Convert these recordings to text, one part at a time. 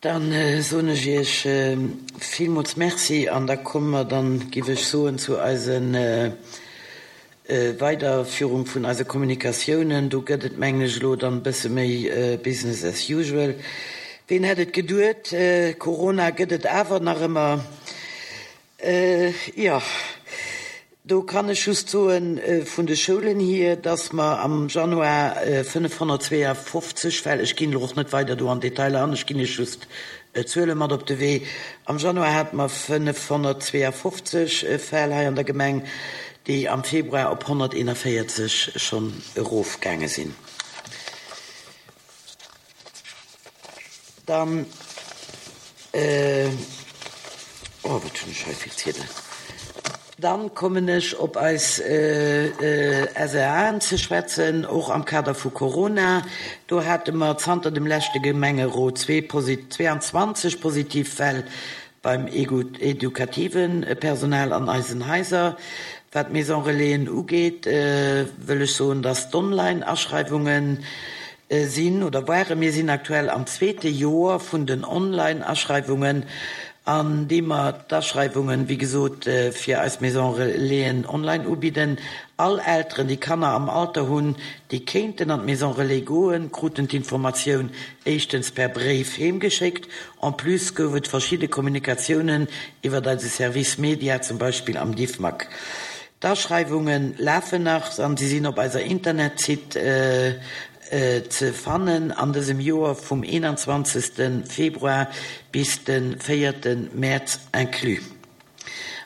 Dann soen ech Iech villmools Merci an da komme mer dann, giff ech soen, zu eise Weiderführung vun eise Kommunikatiounen. Do gëtt et, mengen ech, elo dann e bësse méi Business as usual. Ween hätt et geduet, Corona gëtt et awer nach ëmmer. Jo, do kann ech just soen, vun de Schoulen hier, dass mer am Januar 552 Fäll, ech ginn elo och net weider do an d'Detailer an, ech ginn Iech just Zuele mat op de Wee, am Januar hate mer 552 Fäll hei an der Gemeng, déi am Februar op 141 schonn erofgaange sinn. Dann, oh wat hunn ech hei vill Ziedelen. Dann kommen ech op eis SRAen ze schwätzen, och am Kader vu Corona. Do hate mer zanter dem leschte Gemengerot 22 positiv Fäll beim edukative Personal an eisen Haiser. Wat d'Maison Relaisen ugeet, wëll ech soen, dass d'Online-Aschreiwungen sinn oder waren, mir sinn aktuell am zweete Joer vun den Online-Aschreiwungen, an deem mer d'Aschreiwungen, wéi gesot, fir eis Maison Relaisen online ubidden. All Elteren, déi Kanner am Alter hunn, déi kéinten an d'Maison Relais goen, kruten d'Informatioun éischtens per Bréif heemgeschéckt. En plus gouf et verschidde Kommunikatiounen iwwert eise Service Media, zum Beispill am Diffmag. D'Aschreiwunge lafen nach an si sinn op eiser Internetsite ze fannen an dësem Joer vum 21 Februar bis de 4 Mäerz inclus.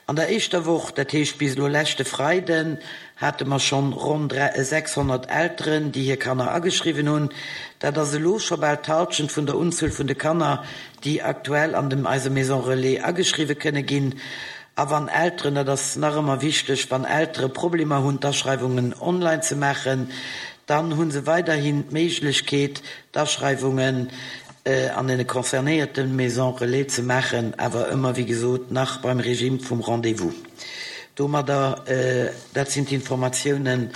An der éischter Woch, dat heescht bis elo leschte Freiden, hate mer schonn ronn 600 Elteren, déi hir Kanner ageschriwwen hunn. Dat ass elo scho bal d'Halschent vun der Unzuel vun de Kanner, déi aktuell an dem eise Maison Relais ageschriwwe kënne ginn. A wann Elteren, dat ass nach ëmmer wichteg, wann Eltere Problemer hunn d'Aschreiwungen online ze maachen, dann hu se weiderhin d'Méiglechkeet d'Aschreiwungen an deene concernéierte Maisons Relais ze maachen, awer ëmmer wéi gesot nach beim Regime vum Rendez-vous. Domadder, dat sinn d'Informatiounen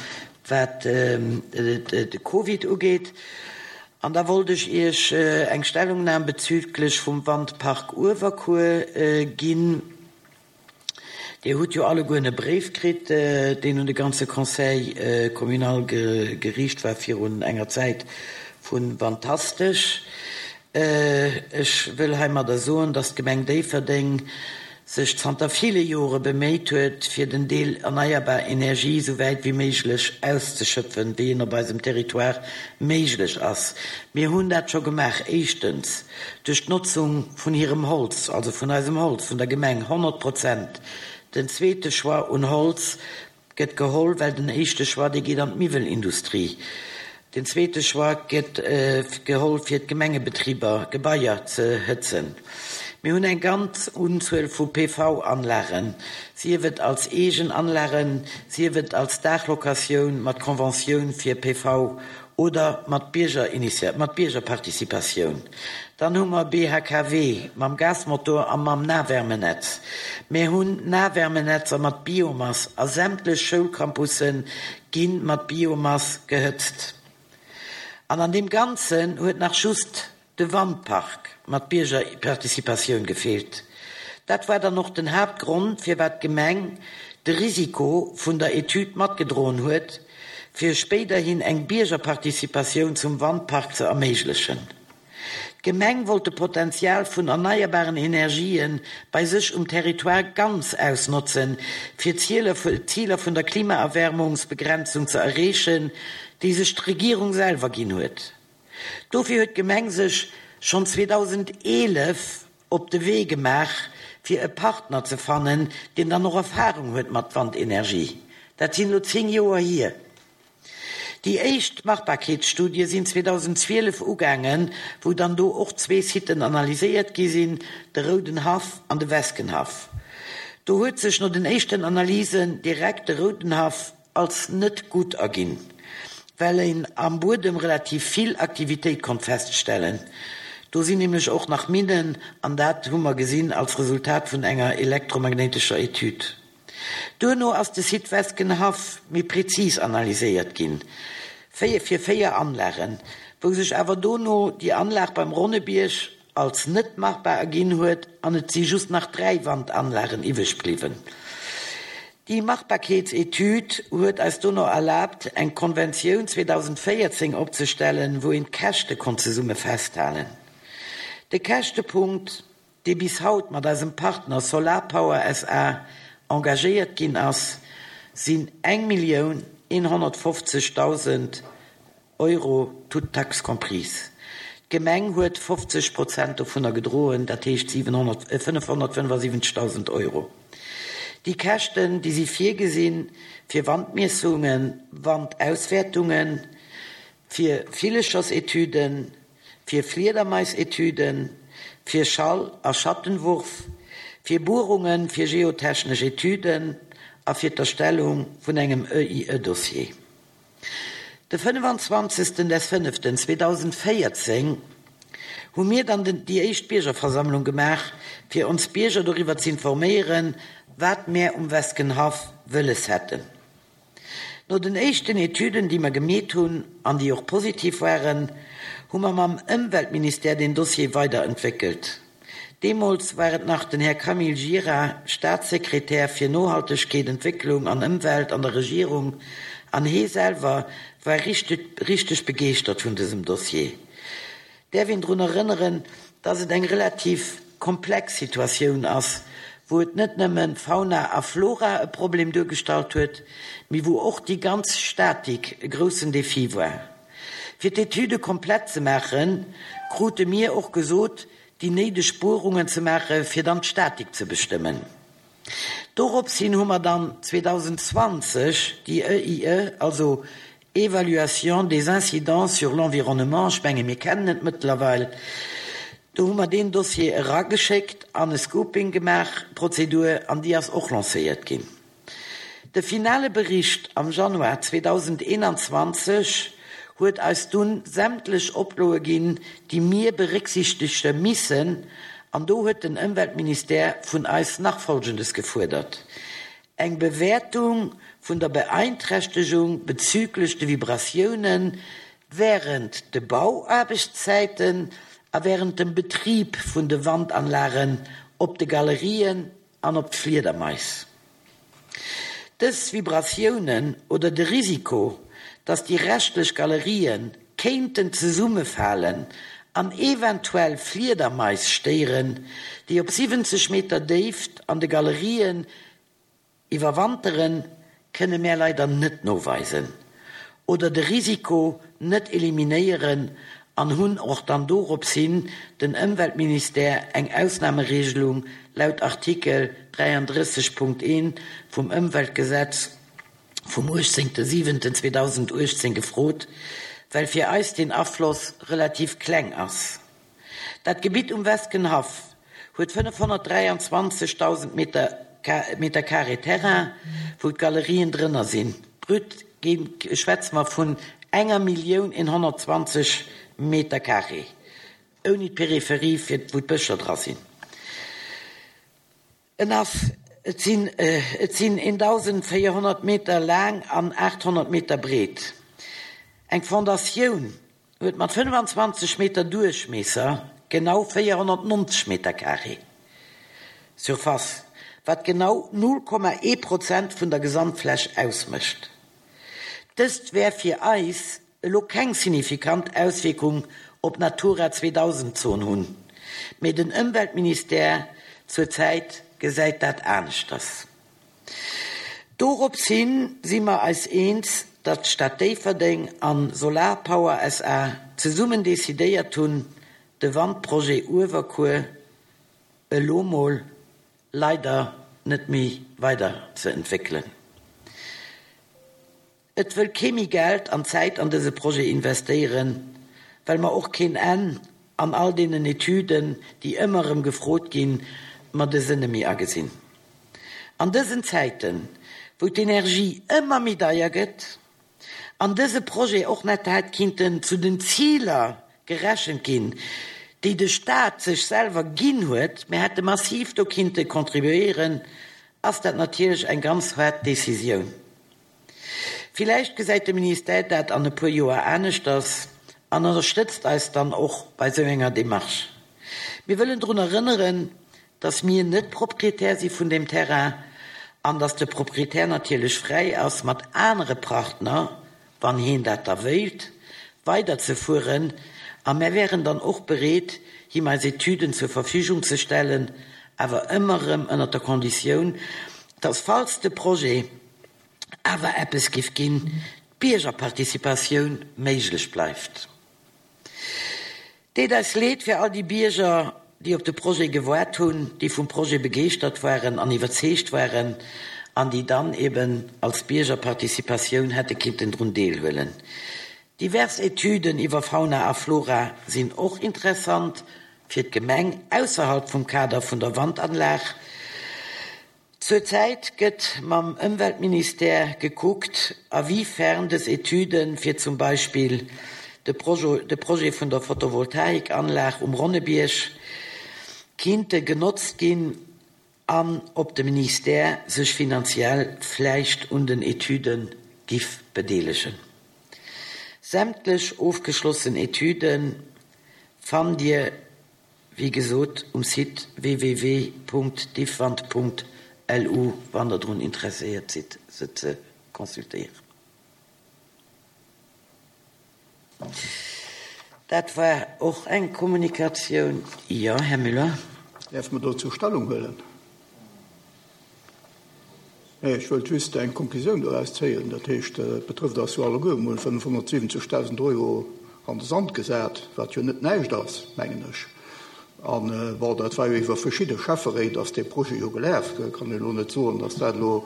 wat de Covid ugeet. An da wollt ech Iech eng Stellungnam bezüglech vum Wandpark Uewerkuer ginn. Dir hutt jo allegueren e Bréif kritt, deen un de ganze Conseil communal geriicht war virun enger Zäit vu Wantastesch. Ech wëll heimadder soen, dass d'Gemeng Déifferdeng sech zanter ville Jore beméit huet, fir den Deel erneierbar Energie esou wäit wéi méiglech auszeschöpfen, wéi en op eisem Territoire méiglech ass. Mir hunn dat scho gemaach, éischtens duerch d'Notzung vun hirem Holz, also vun eisem Holz, vun der Gemeng, 100 Prozent. Den zweete Choix un Holz Gëtt geholl, well den éischte Choix, dee geet an d'Miwwelindustrie. Den zweete Choix gëtt geholl, fir d'Gemengebetriber, Gebaier ze hëtzen. Mir hunn eng ganz Unzuel vu PV-Anlagen, sief et als eegen Anlagen, sief et als Daachlocatioun mat Conventioun fir PV oder mat Biergerparticipatioun. Dann hu mer BHKW mam Gasmotor a mam Nahwärmenetz. Mir hunn Nahwärmenetzer mat Biomass a sämtlech Schoulcampusse gi mat Biomass gehëtzt. An an deem Ganzen huet nach just de Wandpark mat Biergerparticipatioun gefeelt. Dat war dann och den Haaptgrond, firwat d'Gemeng de Risiko vun der Etüd matgedroen huet, fir spéiderhin eng Biergerparticipatioun zum Wandpark ze erméiglechen. D'Gemeng wollt de Potenzial vun erneierbaren Energië bei sech um Territoire ganz ausnotzen, fir d'Ziler vun der Klimaerwärmungsbegrenzung ze erreechen, déi sech d'Regierung selwer ginn huet. Dofir huet d'Gemeng sech schonn 2011 op de Wee gemaach, fir e Partner ze fannen, deen dann och Erfahrung huet mat Wandenergie. Dat sinn elo 10 Joer hier. Déi éischt Machbarkeetsstudie sinn 2012 ugaangen, wou dann do och zwee Siten analyséiert gi sinn, de Roudenhaff an de Weskenhaff. Do huet sech no den éischten Analysen direkt de Roudenhaff als net gutt erginn, well een am Buedem relativ vill Aktivitéit konnt feststellen. Do sinn nämlech och nach Minnen, an dat hu mer gesinn als Resultat vun enger elektromagnéitescher Etüd. Duerno ass de Site Weskenhaff méi prezis analyséiert ginn, fir 4 Anlagen, wou sech awer dono déi Anlag beim Ronnebierg. als net machbar erginn huet an et si just nach 3 Wandanlagen iwweg bliwwen. Déi Machbarkeetsetüd huet eis dono erlaabt, eng Konventioun 2014 opzestellen, wou een d'Käschte konnt zesumme festhalen. De Käschtepunkt, dee bis haut mat eisem Partner Solarpower SA engagéiert ginn ass, sinn 1.150.000 Euro, toutes taxes comprises. D'Gemeng huet 50 Prozent dovunner gedroen, dat heescht 575.000 Euro. Déi Käschten, déi si virgesinn fir Wandmiessungen, Wandauswäertungen, fir Villechersetüden, fir Fliedermaisetüden, fir Schall a Schattenwurf, fir Buerungen, fir geotechnesch Etüden a fir d'Erstellung vun engem EIE-Dossier. De 25. des Fënneften 2014 hu mir dann den déi éischt Biergerversammlung gemaach, fir ons Bierger doriwwer z'informéieren, wat mär um Weskenhaff wëlles hätten. No den éischten Etüden, déi mer gemeet hunn an déi och positiv waren, hu mer mam Ëmweltministère den Dossier weiderentwéckelt. Deemools war et nach den Här Camille Gira, Staatssekretär fir Nohaltegkeet, Entwécklung an Ëmwelt an der Regierung, an hee selwer war richteg begeeschtert vun dësem Dossier. Däerf een drun erënneren, dass et eng relativ komplex Situatioun ass, wou et net nëmme Fauna a Flora e Problem duergestallt huet, mee wou och déi ganz Statik e groussen Defi war. Fir d'Etüde komplett ze maachen, krute mir och gesot, déi néideg Buerungen ze maache fir dann d'Statik ze bestëmmen. Dorops hin hu mer dann 2020 déi EIE, also Évaluation des incidences sur l'environnement, ech menge mir kennen et mëttlerweil, do hu mer deen Dossier erageschéckt an e Scoping gemaach, Prozedur, an déi ass och lancéiert ginn. De finale Bericht am Januar 2021 huet eis dunn sämtlech Oploe ginn, déi mir berécksichtege missen, an do huet den Ëmweltministère vun eis nach Folgendes gefuerdert, Eng Bewäertung vun der Beeinträchtegung bezüglech de Vibratiounen während de Bauaarbechtszäiten a während dem Betrib vun de Wandanlagen op de Galerien an op d'Fliedermais. Dës Vibratiounen oder de Risiko, dass déi reschtlech Galerië kéinten zesummefalen an eventuell Fliedermais stéieren, déi op 70 Meter Déift an de Galerien Iwwerwanteren kënne mär leider net noweisen oder de Risiko net eliminéieren an hunn och dann dorops hin den Ëmweltministère eng Ausnahmeregelung laut Artikel 33 Punkt 1 vum Ëmweltgesetz vum 18.07.2018 gefrot, well fir eis den Afloss relativ kleng ass. Dat Gebitt um Weskenhaff huet 523.000 Meter Carré Terrain, wou d'Galerien drënner sinn. Brut schwätze mer vun enger Millioun 120 Meter Carré, ouni d'Peripherie, wou d'Bëscher dra sinn. En ass, et sinn, et sinn 1.400 Meter laang an 800 Meter breet. Eng Fondatioun huet mat 25 Meter Duerchmiesser genau 490 Meter carré Surface, wat genau 0,1 Prozent vun der Gesamtfläch ausmécht. Dëst wär fir eis elo keng signifikant Auswierkung op d'Natura 2000 Zon hunn, mee den Ëmweltministère zur Zäit gesäit dat aneschters. Dorops hin si mer eis eens, datt d'Stad Déifferdeng an Solarpower SA zesummen decidéiert hunn, de Wandprojet Uewerkuer elo mol leider net méi weider ze entwéckelen. Et wëll kee méi Geld an Zäit an dëse Projet investéieren, well mer och keen Enn an all deenen Etüden, déi ëmmer erëm gefrot ginn, mer de Sënne méi agesinn. An dësen Zäiten, wou d'Energie ëmmer méi deier gëtt an dëse Projet och net hätt kinnten zu den Ziler gerechent ginn, déi de Stat sech selwer ginn huet, mir hätte massiv do kinnte contribuéieren, ass dat natierlech eng ganz haart Décisioun. Villäicht gesäit de Ministère dat an e puer Joer aneschters an ënnerstëtzt eis dann och bei sou enger Démarche. Mir wëllen drun erënneren, dass mir net Proprietär si vun deem Terrain an dass de Proprietär natierlech fräi ass, mat anere Partner, wann heen dat da wéilt, weiderzefueren a mär wären dann och bereet, him eis Etüden zur Verfügung ze stellen, awer ëmmer erëm ënnert der Konditioun, dass falls de Projet awer eppes giff ginn, d'Biergerparticipatioun méiglech bleift. Deet eis leed fir all déi Bierger, déi op de Projet gewaart hunn, déi vum Projet begeeschtert waren an iwwerzeegt waren an déi dann eben als Biergerparticipatioun hätte kinnten drun deelhuelen. Divers Etüden iwwer Fauna a Flora sinn och interessant fir d'Gemeng ausserhalb vum Kader vun der Wandanlag. Zur Zäit gëtt mam Ëmweltministère gekuckt, a wéi fern dës Etüde fir zum Beispill de Projet vun der Photovoltaikanlag um Ronnebierg kinnte genotzt ginn an ob de Ministère sech finanziell vläicht un den Etüde giff bedeelegen. Sämtlech ofgeschlossen Etüde fannt Dir Wéi gesot um Site www.diffwand.lu wann der drun interesséiert sidd se ze consultéieren. Dat war och eng Kommunikatioun. Jo, Här Müller. Däerf mer dozou Stellung huelen? Nee, ech wëllt just eng Konklusioun doraus zéien. Dat heescht, et betrëfft eis jo alleguer. Mir hunn 570.000 Euro an de Sand gesat, wat jo net näischt ass, mengen ech. An, bon, dat war jo iwwer verschidde Schäfferéit ass dee Projet jo gelaf. Et kann een elo net soen, datt dat elo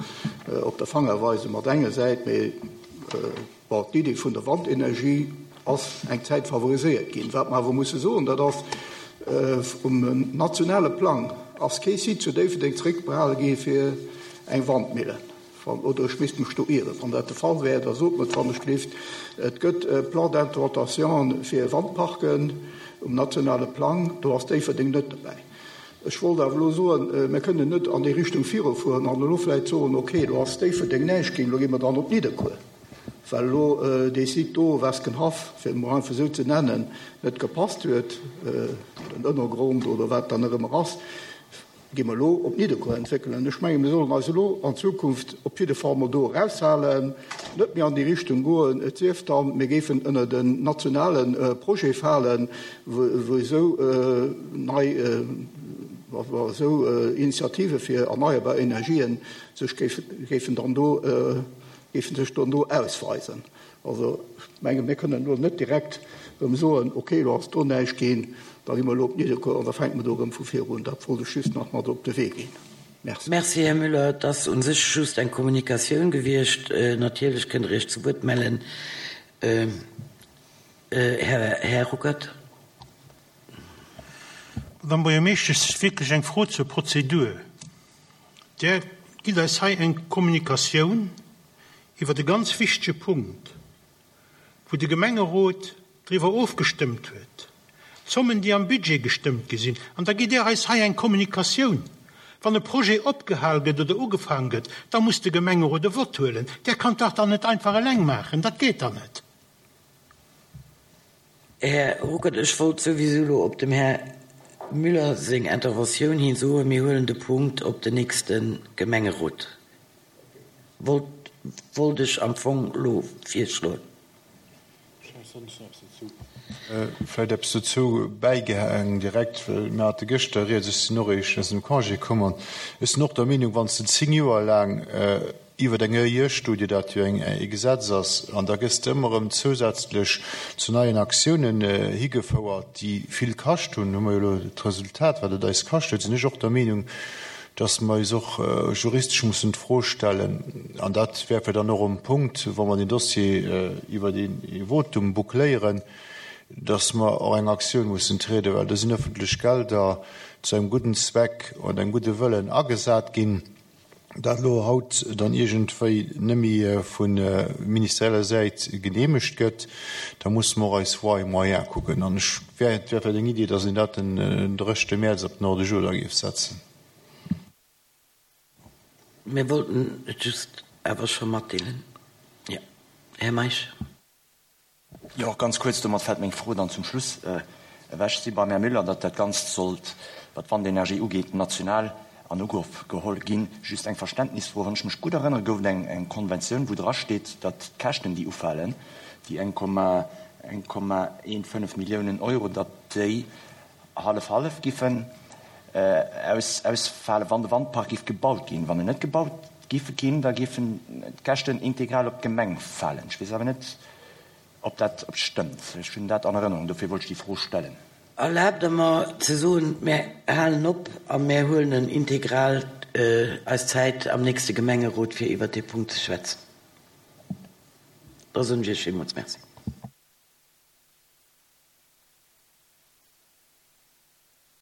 op der Fangerweise mat enger Säit, mee, Bon, d'Iddi vun der Wandenergie ass eng Zäit favoriséiert ginn. Wat mer awer musse soen, dat ass, Um nationale Plang ass kee Site zu Déifferdeng zeréckbehale gi fir eng Wandmillen. Oder ech misst mech do ieren. Wann dat de Fall wär, da sot mer et wannechgelift. Et gëtt e Plan d'implantation fir Wandparken um nationale Plang, do ass Déifferdeng net dobäi. Ech wollt awer elo soen, mir kënnen net an déi Richtung virufueren an elo vläicht soen, okay, elo ass Déifferdeng näischt ginn, elo gi mer dann op Nidderkuer. Well elo dee Site do, Weskenhaff, fir et emol einfach esou ze nennen, net gepasst huet, den Ënnergrond oder wat dann nach ëmmer ass, gi mer elo op Nidderkuer entwéckelen. Ech menge mir sollen eis elo an Zukunft op jidde Fall mol do eraushalen, net méi an déi Richtung goen, et sief dann, mir géifen ënnert en nationale Projet falen, wou esou nei, wou esou Initiative fir erneierbar Energien sech géifen dann do géifen sech dono ausweisen. Also ech menge mir kënnen elo net direkt erëm soen, okay elo ass do näischt ginn, da gi mer elo op Nidderkuer an da fänke mer do erëm vu vir un. Dat wollt ech just nach mat op de Wee ginn. Merci. Merci, Här Müller. Et ass u sech just eng Kommunikatioun gewiescht. Natierlech kënnt Der Iech zu Wuert mellen, Här Ruckert. Madame Buergermeeschtesch, wierklech eng Fro zur Prozedur. Där gitt eis hei eng Kommunikatioun iwwert e ganz wichtege Punkt, wou de Gemengerot driwwer ofgestëmmt huet, d'Zommen, déi am Budget gestëmmt gi sinn, an da gitt Där eis hei eng Kommunikatioun. Wann e Projet opgehal gëtt oder ugefaang gëtt, da muss de Gemengerot e Vott huelen. Där kann dat dann net einfach eleng maachen, dat geet dann net. Här Ruckert, ech wollt souwisou elo op dem Här Müller seng Interventioun hin soen, mir huelen de Punkt op den nächste Gemengerot. Wollt, wollt ech am Fong elo virschloen. Vläicht eppes dozou bäigehaang direkt, well mir hate gëschter rieds, ech sinn och eréischt aus dem Congé komm an ech sinn och der Meenung, wann s de 10 Joer laang iwwer eng EIE-Studie, dat jo eng e Gesetz ass, an da gëss de ëmmer erëm zousätzlech zu neien Aktiounen higefouert, déi vill kascht hunn, hu mer jo elo d'Resultat, wat et eis kascht huet, sinn ech och der Meenung, dass mer eis och juristesch mussen d'Fro stellen, an dat wär fir dann och um Punkt, wa mer den Dossier iwwer ee Votum boucléieren, dass mer och eng Aktioun mussen trieden, well do sinn öffentlech Gelder zu engem gudden Zweck und engem gudde Wëllen agesat ginn. Dat elo haut dann iergendwéi nëmme vu ministerieller Säit geneemegt gëtt, da musse mer och eis Voies et moyens kucken. An ech wär, et wär vläicht eng Idee, datt een dat den dréchte Mäerz op den Ordre du jour da géif setzen. Mir wollten et just awer scho matdeelen. Jo, Här Meisch. Jo, ganz kuerz, domat fält meng Fro dann zum Schluss. Ewech si beim Här Müller, datt dat Ganzt sollt, wat d'Wandenergie ugeet, national an Ugrëff geholl ginn. Just eng Verständnisfro, Wann ech mech gutt erënnere gouf et eng Konventioun, wou drasteet, datt d'Käschten, déi ufalen, déi 1,15 Milliounen Euro, datt déi hallef-hallef giffen ausfalen, wann de Wandpark giff gebaut ginn. Wann en net gebaut giffe ginn, da giffen d'Käschten integral op d'Gemeng falen. Ech weess awer net, ob dat stëmmt. Ech hunn dat an Erënnerung, dofir wollt ech déi Fro stellen. Erlaabt Der mer ze soen, mär halen op a mär huelen en integral eis Zäit am nächste Gemengerot, fir iwwert dee Punkt ze schwätzen. Da soen ech Iech villmools Merci.